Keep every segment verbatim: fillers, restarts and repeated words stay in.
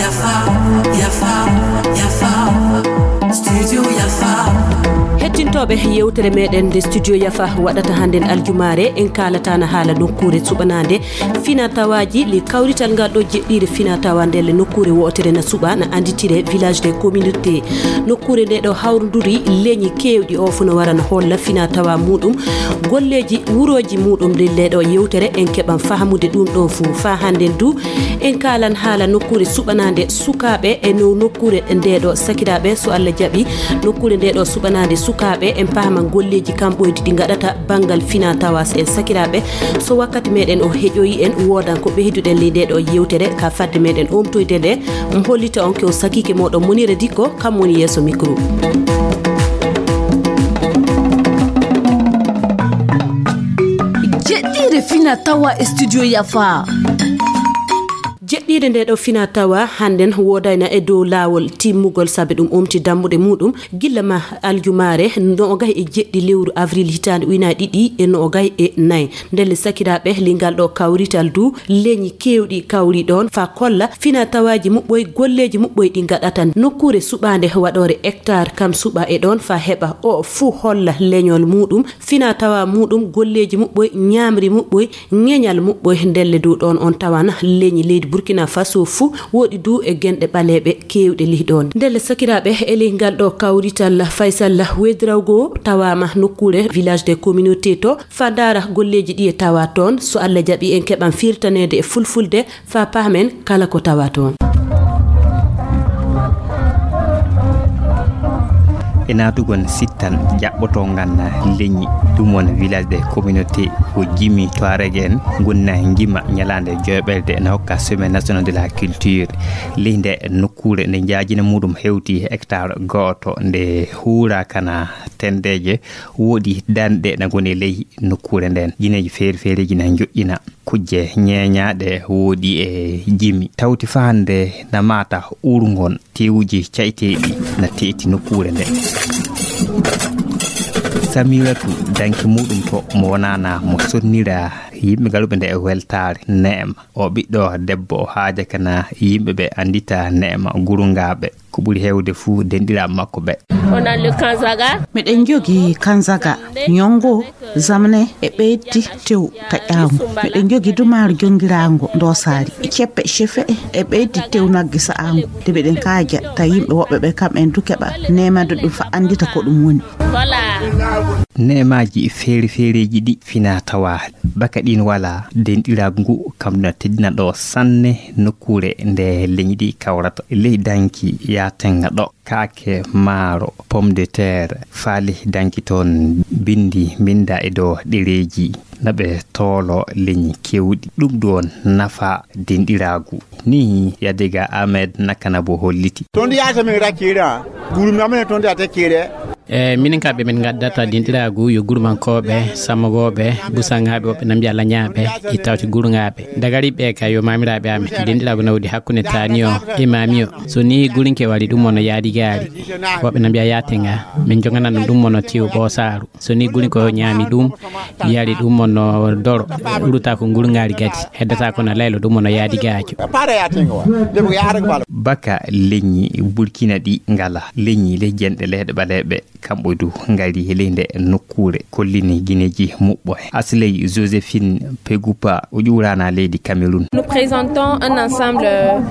Yafa, yafa, yafa. Studio Yafa. Hettintooɓe yewtere meɗen nde Studio Yafa waɗata hannden aljumaare, en kaalataana haala nokkuure suɓanaande fina tawaaji, le kawrital ngal ɗo jeɗɗiire fina tawa ndelle nokkuure wootere na suɓa, na annditire village des communautés. Nokkuure nde ɗo hawrunduri leñi keewɗi, o fof no wara no holla fina tawa muɗum, golleeji wurooji muɗum. Nde ɗo yewtere en keɓan fahamude ɗum ɗo fof. Fa hannden du, en kaalan haala nokkuure suɓanaande sukaaɓe e no nokkuure nde ɗo sakiraaɓe, so Allah jaɓi, nokkuure nde ɗo suɓanaande sukaaɓe, en pahaman golleeji kamɓoydi ɗi ngaɗata banngal fina tawa en sakiraaɓe. So wakkati meɗen o heƴoyi en, woodan ko ɓeyduɗen ley nde ɗo yewtere, ka fadde meɗen omtoyde nde, mi hollita on ko sakiike moɗon Monira Dikko, kam woni yeeso micro. Jeɗɗiire fina tawa e studio Yafa. Jeɗɗiire nde ɗo fina tawa hannden woodayna e dow laawol timmugol, sabe ɗum omti dammuɗe muɗum gilla ma aljumaare noogay e jeɗɗi lewru avril hitaande ujunaaji ɗiɗi e noogay e nayi. Ndelle sakiraaɓe, lingal ɗo kawrital du, leñi keewɗi kawri ɗoon fa kolla fina tawaaji muɓɓoy, golleeji muɓɓoy ɗi ngaɗata nokkuure suɓaande waɗoore hectare kam suɓa e ɗoon fa heɓa o fuu holla leñol muɗum, fina tawa muɗum, golleeji muɓɓoy, ñaamri muɓɓoy, ŋeñal muɓɓoy. Ndelle du ɗoon on tawan leñi leydi Burkina Faso fuu woɗi du e genɗe ɓaleeɓe keewɗe lih ɗoon. Ndelle sakiraaɓe, e ley ngal ɗo kawrital Faysal Wedrawgo tawaama nokkuure village des communautés to fa ndaara golleeji ɗi e tawa toon. So Allah jaɓi en keɓan firtaneede e fulfulde fa pahmen kala ko tawa toon. E naatugol sittan jaɓɓotongal leñi ɗum won village des communautés ko Jimi Touareg en gonna ngima ñalaande joyɓerde na hokka semaine national de la culture. Ley nde nokkuure nde njaajina muɗum hewti hectare gooto nde huura kana tendeeje woodi danɗe na ngoni ley nokkuure nden. Jineeji feere feereeji na njoƴƴina. Kujje ñeeñaaɗe woodi e Jimi. Tawti fa hannde na maata uurngol teewuji cayteeɗi na teeti nokkuure nde. Samiratu danki muɗum to mo wonana mo sonnira yimɓe galuɓe nde e weltaare neema. O ɓiɗɗo debbo o haaja kana yimɓe ɓe anndita neema gurungaaɓe. Ko ɓuri heewde fuu denɗiraaɓe makko ɓe. On a le Kanzaga. Miɗen njogi Kanzaga, Nyongo, Zamne e ɓeydi tew taƴaango. Miɗen njogi Dumaaru jongiraango Ndoosaari, Ceppe Cefe e ɓeydi tew nagge sa'aango. De miɗen kaaja ta yimɓe woɓɓe ɓe kam en du keɓa neemande ɗum fa anndita ko ɗum woni. Voilà. Neemaaji feere feereeji ɗi fina tawa baka ɗin wala denɗiraagu ngu kam na teddina ɗo sanne nokkuure nde leñi ɗi kawrata. Ley danki yaatenga ɗo kaake, maaro, pomme de terre, faali danki toon, bindi, mbinda e dow ɗereeji, na ɓe toolo leñi kewɗi. Ɗum ɗoon nafa denɗiraagu. Ni Yadiga Ahmed Nakana bo holliti. Toon yaata min rakkira, guru mi amene toon yaata kire. E minen ka ɓe min ngaddata denɗiraagu yo gurumankooɓe, sammogooɓe, busaŋaaɓe, woɓɓe na mbiya lañaaɓe, e tawti guruŋaaɓe. Dagari ɓe ka yo maamiraaɓe amen. Denɗiraagu nawdi hakkunde taani o e maami o. So ni gurinke wari ɗum mono yaadi gaari. Woɓɓe na mbiya yaatenga. Min joganano ɗum mono tiw ɓoosaaru. So ni gurinko ñaami ɗum, yari ɗum mono doro. Ɓurata ko ngurngaari gadi. Heddata ko na laylo ɗum mono yaadi gaajo. Baka leñi Burkina ɗi ngala. Leñi le jenɗe leyɗe ɓaleeɓe. Kamɓe du ngari e ley nde nokkuure, kollini gineeji muɓɓo. Asley Josephine Pegupa o ƴuurana leydi Cameroun. Nous présentons un ensemble.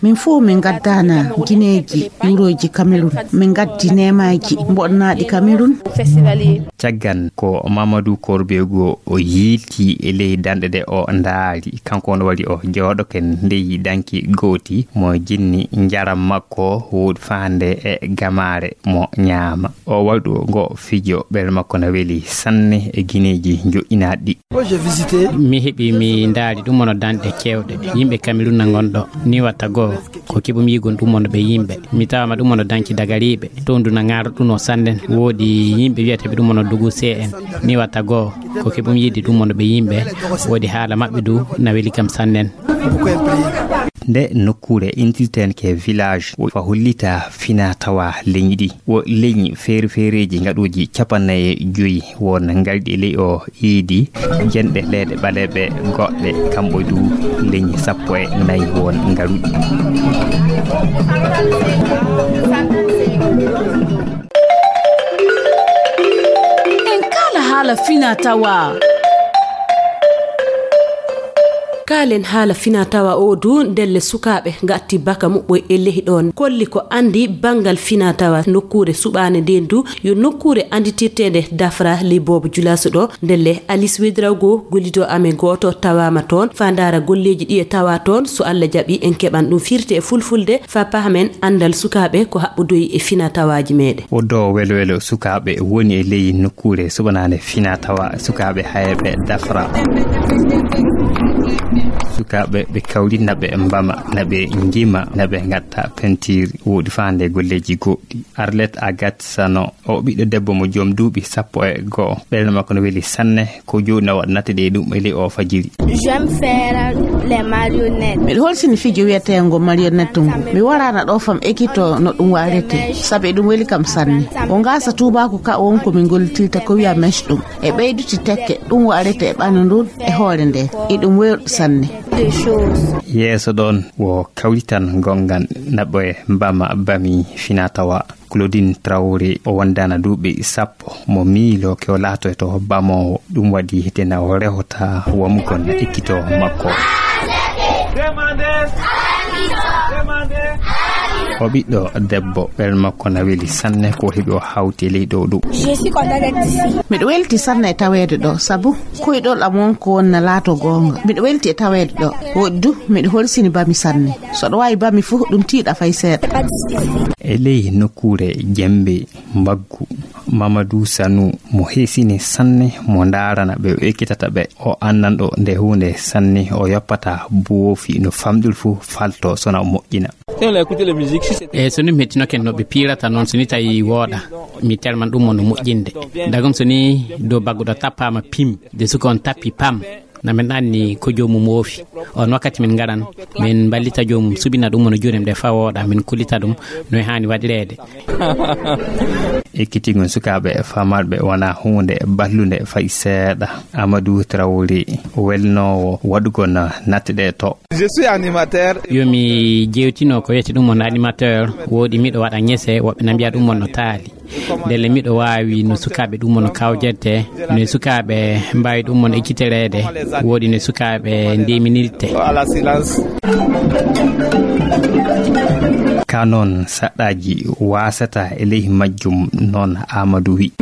Min fof min ngaddana gineeji ƴuurooji Cameroun. Min ngaddi neemaaji mboɗnaaɗi Cameroun. Festivalier. Caggan ko Mamadou Korbego o yiilti e ley danɗe ɗe o ndaari. Kanko on wari o jooɗo ken ley danki gooti mo jinni njaram makko woodi faande e gamaare mo ñaama. O waɗu ngo fijo ɓernde makko na weli sanne e gineeji joƴƴinaaɗi ɗi. Mi heɓi mi ndaari ɗum mono danɗe kewɗe yimɓe Cameroun na ngonɗo ni watta goo ko keɓum yigon ɗum mono ɓe yimɓe mi tawama ɗum mono danki dagariiɓe toon du na ŋaaro ɗum o sanne woodi yimɓe wiyateɓe ɗum mono dogu C N ni watta goo ko keɓum yiide ɗum mono ɓe yimɓe woodi haala maɓɓe du na weli kam sannen. Nde nokkuure intirten ke village, o fa hollita fina tawa leñi ɗi. Wo leñi feere feereeji ngaɗuuji capanɗe nayi e joyi won ngarɗi e ley o iidi, jenɗe leeɗe ɓaleeɓe goɗɗe, kamɓe du leñi sappo e nayi won ngaruɗi. En kaala haala fina tawa. Kaalen haala fina tawa o du, ndelle sukaaɓe ngatti baka muɓɓoy e lehi ɗon, kolli ko andi bangal fina tawa nokkuure suɓaane nden du, yo nokkuure anditirteende Dafra ley boobo Julaaso ɗo. Ndelle Alice Wedrago, gollido amen gooto, tawaama toon, fa ndaara golleeji ɗi e tawa toon, so Allah jaɓi en keɓan ɗum firti e fulfulde, fa pahamen andal sukaaɓe ko haɓɓodoyi e fina tawaaji meɗen. Woddo welo welo sukaaɓe woni e ley nokkuure suɓanaande fina tawa sukaaɓe hayɓe Dafra. Sukaaɓe ɓe kawri na ɓe mbama, na ɓe njima, na ɓe ngatta pentiir, woodi faande golleeji goɗɗi. Arlette Agathe Sano, o ɓiɗɗo debbo mo joom duuɓi sappo e go'o. Ɓernde makko no weli sanne, ko jooni na waɗa natte ɗe ɗum e ley o fajiri. J'aime faire les marionnettes. Miɗo holsini fijo wiyeteengo marionnette ngu. Mi waraana ɗo fam ekito no ɗum warete, sabu eɗum weli kam sanne. O ngaasa tuubaaku ka won ko min gollitirta ko wiya mèche ɗum. E ɓeyduti tekke ɗum warete e ɓandu ndun e hoore nde. Eɗum weeɗi sanne. Des choses. Yeeso ɗon wo kawrital gongal naɓɓo e mbama bami fina tawa. Claudine Traoré, o wondaana duuɓi sappo, mo miilo ke o laatoyto bamoowo. Ɗum waɗi hite na o rehota wamugol ekkito makko. O ɓiɗɗo debbo, ɓernde makko na weli sanne ko heɓi o hawti e ley ɗo ɗum. Je suis content d'être ici. Miɗo welti sanne e taweede ɗo, sabu koyɗol am won ko won na laato goonga. Miɗo welti e taweede ɗo. Woɗɗi du, miɗo holsini bami sanne. So ɗo waawi bami fof, ɗum tiiɗa fay seeɗa. E ley nokkuure jembe mbaggu, Mamadou Sanou mo heesini sanne, mo ndaarana ɓe o ekkitata ɓe. O anndanɗo nde huunde sanne, o yoppata boofi no famɗiri fof falto sona o moƴƴina. E so ni mi hettinoke no ɓe piirata noon, so ni tawi wooɗa, mi telman ɗum mo no moƴƴinde. Dagum so ni dow bagguɗo tappaama pim, de suka on tappi pam. Na min anni ko joomum woofi. On wakkati min ngaran, min mballita joomum, subina ɗum no juuɗe mum ɗe fawooɗa, min kullita ɗum no e haani waɗireede. Ekkitingol sukaaɓe famarɓe wona huunde ballunde fay seeɗa. Amadou Traoré, welnoowo waɗugol natte ɗe to. Je suis animateur. Yo mi jewtino ko wiyete ɗum on animateur, woodi miɗo waɗa ŋese, woɓɓe na mbiya ɗum on no taali. Ndelle miɗo waawi no sukaaɓe ɗum on kawjerte, no sukaaɓe mbaawi ɗum on ekkitereede, woodi no sukaaɓe ndeminirte. Ka noon saɗɗaaji waasata e ley majjum, noon Amadou wi.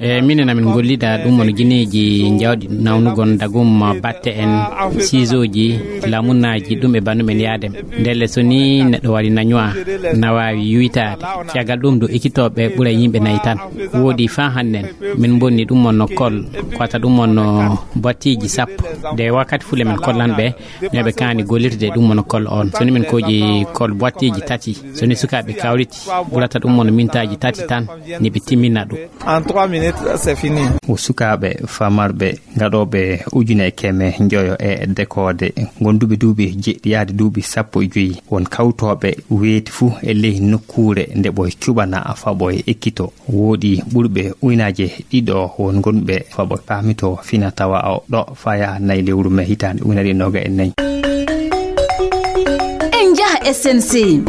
E minen amin ngollida ɗum on gineeji jawɗi nawnugol dagum batte en, siisooji, lamunnaaji, ɗum e banndum en yaadem. Ndelle so ni neɗɗo waɗi na ñuwa, na waawi yuytaade. Caggal ɗum du ekkitooɓe ɓura yimɓe nayi tan. Woodi faa hannden, min mbonni ɗum on no kol, ko wata ɗum on no battiiji sappo. De wakkati fule min kollan ɓe, no ɓe kaani gollirde ɗum on no kol on. So ni min koji kol battiiji tati, so ni sukaaɓe kawriti, ɓurata ɗum on no mintaaji tati tan, ni ɓe timmina ɗum. En trois minutes, c'est fini. O sukaaɓe famarɓe gaɗooɓe ujune e keme njoyo e dekoode, gonduɓe duuɓi jeɗɗi yaade duuɓi sappo e joyi, won kawtooɓe weeti fuu e ley nokkuure nde ɓoy cuɓana faɓo e ekkito. Woodi ɓurɓe uynaaje ɗiɗo won gonɓe faɓo paamito fina tawa o ɗo faya nayi lewru me hitaande ujunere e nooga e nayi. En njaha S N C.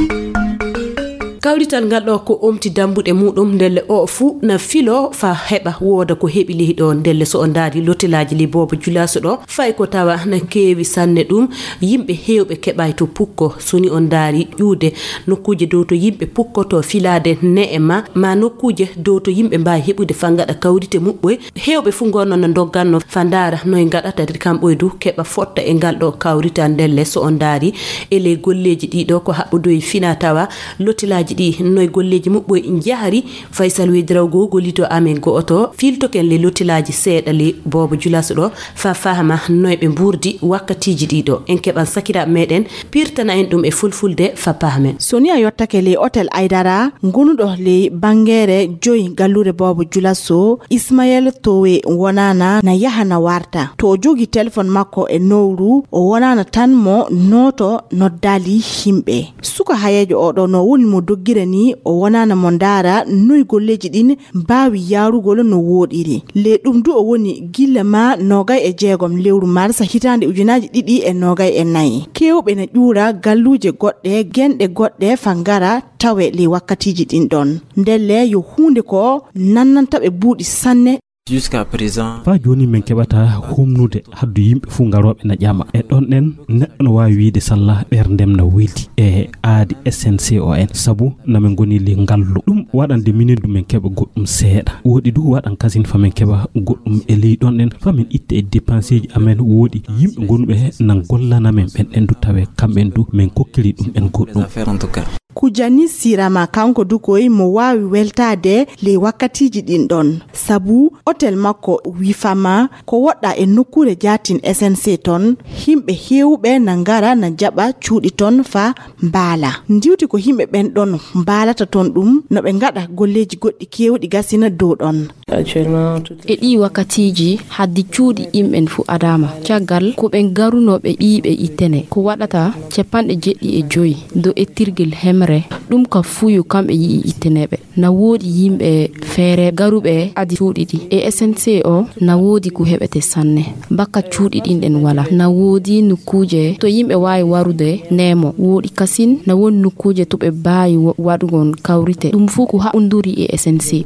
Kawrital ngal ɗo ko omti dambuɗe muɗum, ndelle o fuu na filo fa heɓa wooda ko heɓi lehi ɗo. Ndelle so on ndaari lotelaaji li boobo julaaso ɗo, fay ko tawa na keewi sanne ɗum, yimɓe heewɓe keɓay to pukko. So ni on ndaari ƴuude nokkuuje dow to yimɓe pukkoto filaade ne'e ma, ma nokkuuje dow to yimɓe mbaawi heɓude fa ngaɗa kawrite muɓɓoy, heewɓe fuu ngonno no ndogganno fa ndaara noy ngaɗata de kamɓoy du keɓa fotta e ngal ɗo kawrital. Ndelle so on ndaari e ley golleeji ɗiɗo ko haɓɓodoyi fina tawa lotilaaji ɗi noy golleeji muɓɓoy njahri. Faysal Weydiraw goo gollito amen go'oto, fiiltoken le lotilaaji seeɗa le boobo Julaso ɗo, fa fahama noy ɓe mbuurdi wakkatiiji ɗiɗo. En keɓan sakiraaɓe meɗen pirtana en ɗum e fulfulde fa pahamen. So ni a yottake le Otel Aydara, ngonuɗo le banngeere joyi galluure boobo Julaso, Ismayel Towe wonaana na yaha na warta. To o jogi telefon makko e nowru, o wonaana tan mo nooto noddaali himɓe. Suka hayeejo oɗo no woni mo doggira ni, o wonaana mo ndaara noy golleeji ɗin mbaawi yaarugol no wooɗiri. Le ɗum du o woni gilla ma nogay e jeegom lewru mars hitaande ujunaaji ɗiɗi e nogay e nayi. Keewɓe na ƴuura galluuje goɗɗe, genɗe goɗɗe fa ngara tawe le wakkatiiji ɗin ɗon. Ndelle yo huunde ko nannanta ɓe buuɗi sanne. Jusqu'à présent. Faa jooni min keɓata humnude haddu yimɓe fuu ngarooɓe na ƴama. E ɗon ɗen, neɗɗo no waawi wiide salla ɓerndem na welti e aadi S N C O N. Sabu na min ngoni le ngallu. Ɗum waɗande minen du min keɓa goɗɗum seeɗa. Woɗi du waɗan kasin fa min keɓa goɗɗum e ley ɗon ɗen. Fa min itta e dépenseeji amen woɗi yimɓe gonuɓe nan gollana men ɓen ɗen du tawe kamɓen du min kokkiri ɗum en goɗɗum. Kujani Sirama kanko du koy mo waawi weltaade ley wakkatiiji ɗin ɗon. Sabu otel makko wifama ko woɗɗa e nokkuure jaatin S N C ton, himɓe heewɓe na ngara na jaɓa cuuɗi ton fa mbaala. Ndiwti ko himɓe ɓen ɗon mbaalata ton ɗum, no ɓe ngaɗa golleeji goɗɗi keewɗi gasina dow ɗon. E ɗii wakkatiiji, haddi cuuɗi yimɓen fu adaama. Caggal ko ɓen garunooɓe ɓiiɓe ittene. Ko waɗata capanɗe jeɗɗi e joyi do ettirgel hemre, ɗum ka fuyo kamɓe yi'i itteneeɓe. Na woodi yimɓe feere garuɓe adi cuuɗi ɗi. E S N C o, na woodi ko heɓete sanne. Bakka cuuɗi ɗin ɗen wala. Na woodi nokkuuje to yimɓe waawi warude neemo. Woodi kasin, na woodi nokkuuje to ɓe baawi wa-, waɗugol kawrite. Ɗum fuu ko haɓunduri e S N C.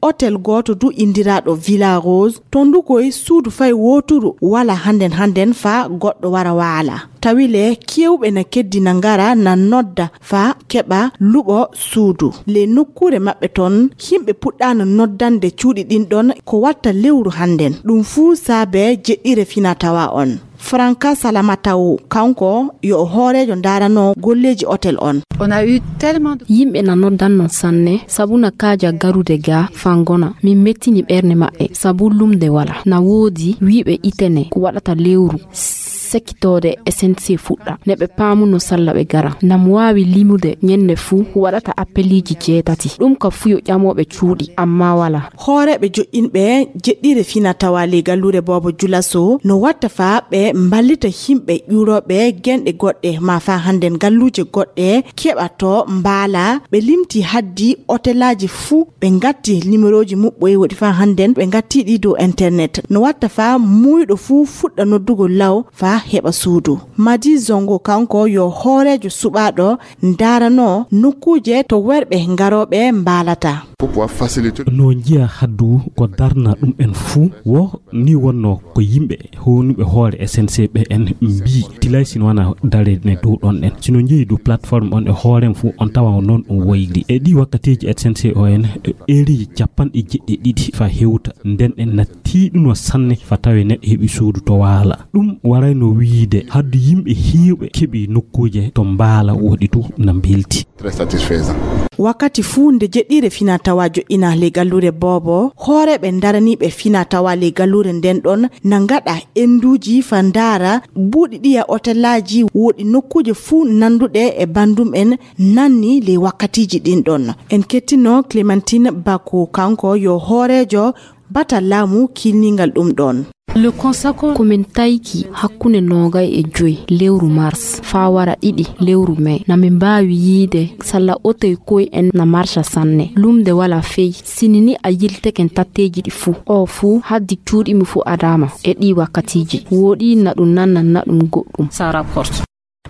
Otel gooto du indiraaɗo Villa Rose, ton du koy suudu fay wooturu wala hannden hannden faa goɗɗo wara waala. Tawi le keewɓe na keddi na ngara na nodda faa keɓa luɓo suudu. Le nokkuure maɓɓe ton, himɓe puɗɗaano noddande cuuɗi ɗin ɗon ko watta lewru hannden. Ɗum fuu saabe jeɗɗire fina tawa on. Franka Salamatawo, kanko yo o hooreejo ndaarano golleeji otel on. On a eu tellement de yimɓe na noddanno sanne, sabu na kaaja garude ga fangona. Min mettini ɓerne maɓɓe, sabu lumde wala. Na woodi wiiɓe itene ko waɗata lewru, sekkitoode S N C fuɗɗa. Ne ɓe paamuno salla ɓe gara. Nam waawi limude ñennde fuu waɗata appeliiji jeetati. Ɗum ka fuyo ƴamooɓe cuuɗi, amma wala. Hooreeɓe joƴƴinɓe jeɗɗire fina tawa ley galluure Boobo Julaso no watta faa ɓe mballita himɓe ƴuurooɓe genɗe goɗɗe, maa faa hannden galluuje goɗɗe keɓa to mbaala. Ɓe limti haddi otelaaji fuu, ɓe ngatti nimerooji muɓɓoy woɗi faa hannden ɓe ngatti ɗi dow internet. No watta faa muuyɗo fuu fuɗɗa noddugol law faa heɓa suudu. Madi Zongo kanko yo hooreejo suɓaaɗo ndaarano nokkuuje to worɓe ngarooɓe mbaalata. Pour pouvoir faciliter. No njiya haddu ko darna ɗum en fuu, wo ni wonno ko yimɓe hownuɓe hoore S N C ɓe en mbii tilay sino wana darede dow ɗon ɗen. Sino njeyi dow plateforme on e hoorem fuu on tawa noon ɗum woyri. E ɗi wakkatiiji S N C o en e eriji capanɗe jeɗɗi ɗiɗi fa hewta nden en na tiiɗuno sanne fa tawe neɗɗo heɓi suudu to waala. Ɗum warayno wiide haddu yimɓe heewɓe keɓi nokkuuje to mbaala woɗi tu na mbelti. Très satisfaisant. Wakkati fuu nde jeɗɗire fina tawa joƴƴina ley galluure Boobo, hooreeɓe ndaraniiɓe fina tawa ley galluure nden ɗon na ngaɗa enduuji fa ndaara buuɗi ɗiya otelaaji woɗi nokkuuje fuu nanduɗe e bandum en nanni ley wakkatiiji ɗin ɗon. En kettino Clémentine Bako, kanko yo hooreejo bata laamu kilningal ɗum ɗon. Le consacre ko min tayki hakkunde noogay e joy lewru mars faa wara ɗiɗi lewru mai, na min mbaawi yiide salla otoy koy en na marcha sanne. Lumde wala fey, sinini a yilteken tatteeji ɗi fuu. O fuu haddi cuuɗi mi fuu adaama e ɗi wakkatiiji. Woɗi na ɗum nannan na ɗum goɗɗum. Ça rapporte.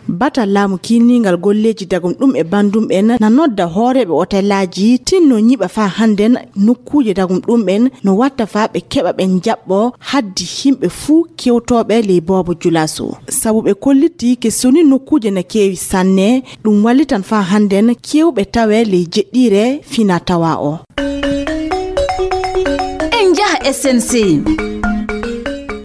Batal laamu kiilniingal golleeji dagum ɗum e bandum en na nodda hooreeɓe otelaaji tinno ñiɓa faa hannden nokkuuje dagum ɗum en no watta faa ɓe keɓa ɓe njaɓɓo haddi himɓe fuu kewtooɓe ley Boobo Julaso. Sabu ɓe kollitti ke soni nokkuuje na keewi sanne, ɗum wallitan faa hannden kewɓe tawe ley jeɗɗiire fina tawa o. En njaha S N C.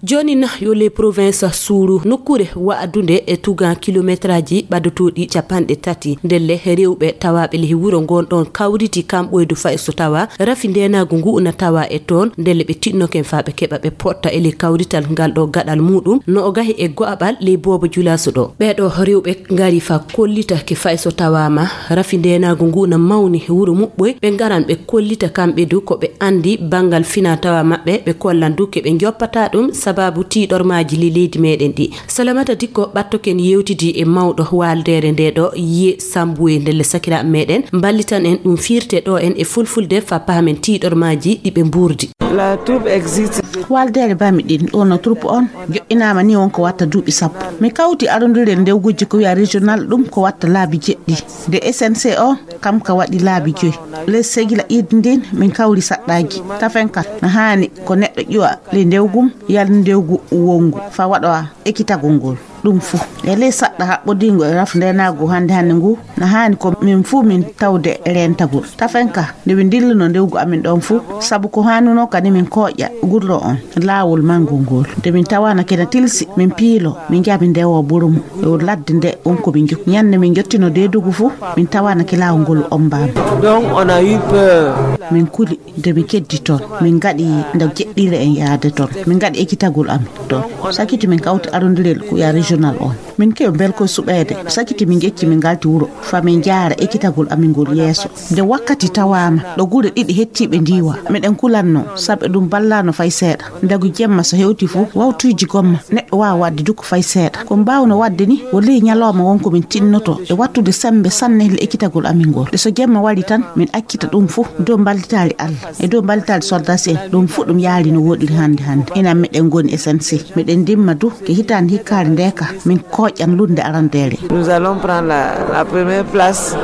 Jooni na yo les provinces suuru nokkuure wa'adunde e tugan kilometraaji ɓadotooɗi capanɗe tati. Ndelle rewɓe tawaaɓe ley wuro ngon ɗon kawriti kamɓoydu fay so tawa rafi ndeenaagu ngu na tawa e toon. Ndelle ɓe tiɗnoken faa ɓe keɓa ɓe potta e ley kawrital ngal ɗo gaɗal muuɗum no o gahi e go'aɓal ley boobo julaaso ɗo. Ɓee ɗo rewɓe ngari faa kollita ke fay so tawaama rafi ndeenaagu ngu na mawni wuro muɓɓoy, ɓe ngaran ɓe kollita kamɓe du ko ɓe anndi banngal fina tawa maɓɓe, ɓe kollan du ke ɓe njoppata ɗum sababu tiiɗormaaji ley leydi meɗen ɗi. Salamata Dikko ɓattoken yewtidi e mawɗo waaldeere nde ɗo, Ye Sambuwe, ndelle sakiraaɓe meɗen mballitan en ɗum fiirte ɗo en e fulfulde faa pahamen tiiɗormaaji ɗi ɓe mbuurdi. La troupe existe. Waaldeere bami ɗin ɗo no troupe on joɗɗinaama ni won ko watta duuɓi sappo. Mi kawti arondirel ndewgujji ko wiya régional, ɗum ko watta laabi jeɗɗi. Nde S N C o, kam ka waɗi laabi joyi. Les Segila iidi ndin, min kawri saɗɗaaji. Tafen kal, na haani ko neɗɗo ƴuwa ley ndewgum, yal ndewgu wongu, faa waɗa ekitagol ngol. Ɗum fuu. E ley saɗɗa haɓɓodiingo e raf ndeenaagu hannde hannde ngu, na haani ko min fuu min tawde reentagol. Tafen ka, nde min ndilluno ndewgu amin ɗon fuu, sabu ko haanunoo kadi min kooƴa gurlo on, laawol manngol ngol. Nde min tawaana kena tilsi, min piilo, min njaha min ndewoo burumu. E ladde nde won ko min njo-, ñande min njottino deedugu fuu, min tawaana ke laawol ngol ombaama. Donc, on a eu peur. Min kuli, nde min keddi toon, min ngaɗi nde jeɗɗiire en yaade toon. Min ngaɗi ekitagol amin toon. Sakiti min kawti arondirel ko wiya régional on. Min kewi belko suɓeede. Sakiti min ƴecci min ngalti wuro. Faa min njaara ekitagol amin ngol yeeso. Nde wakkati tawaama, ɗo gure ɗiɗi hettiiɓe ndiiwa. Miɗen kulanno, sabu ɗum ballaano fay seeɗa. Ndagu jemma so hewti fuu, wawtuuji gomma, neɗɗo waawa waɗde du ko fay seeɗa. Ko mbaawno waɗde ni, ko ley ñalooma won ko min tinnoto e wattude semmbe sanne le ekitagol amin ngol. Nde so jemma waɗi tan, min accita ɗum fuu dow mballitaali Allah e dow mballitaali soldaasi en. Ɗum fuu ɗum yaari no woɗiri hannde hannde. Enen miɗen ngoni S N C. Miɗen ndimma du ke hitaande hikkaare nde ka, min kooƴan lunnde arandeere. Nous allons prendre la, la première place.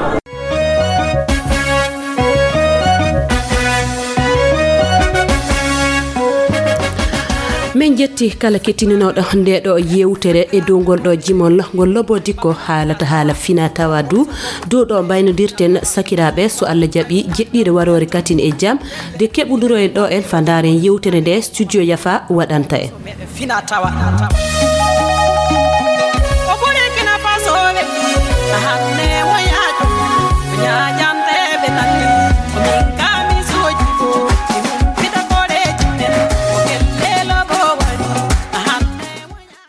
Min jetti kala kettininooɗo nde ɗo yewtere e dow ngol ɗo jimol ngol Lobo Dikko haalata haala fina tawa du. Dow ɗo mbaynodirten sakiraaɓe, so Allah jaɓi jeɗɗiire waroore katin e jam, de keɓunduro en ɗo en faa ndaaren yewtere nde studio Yafa waɗanta en. Fina tawa. O ɓuri Kina Faso ɓe. Hanne wo yaajo. Ñaajanteeɓe tan. Ko min ka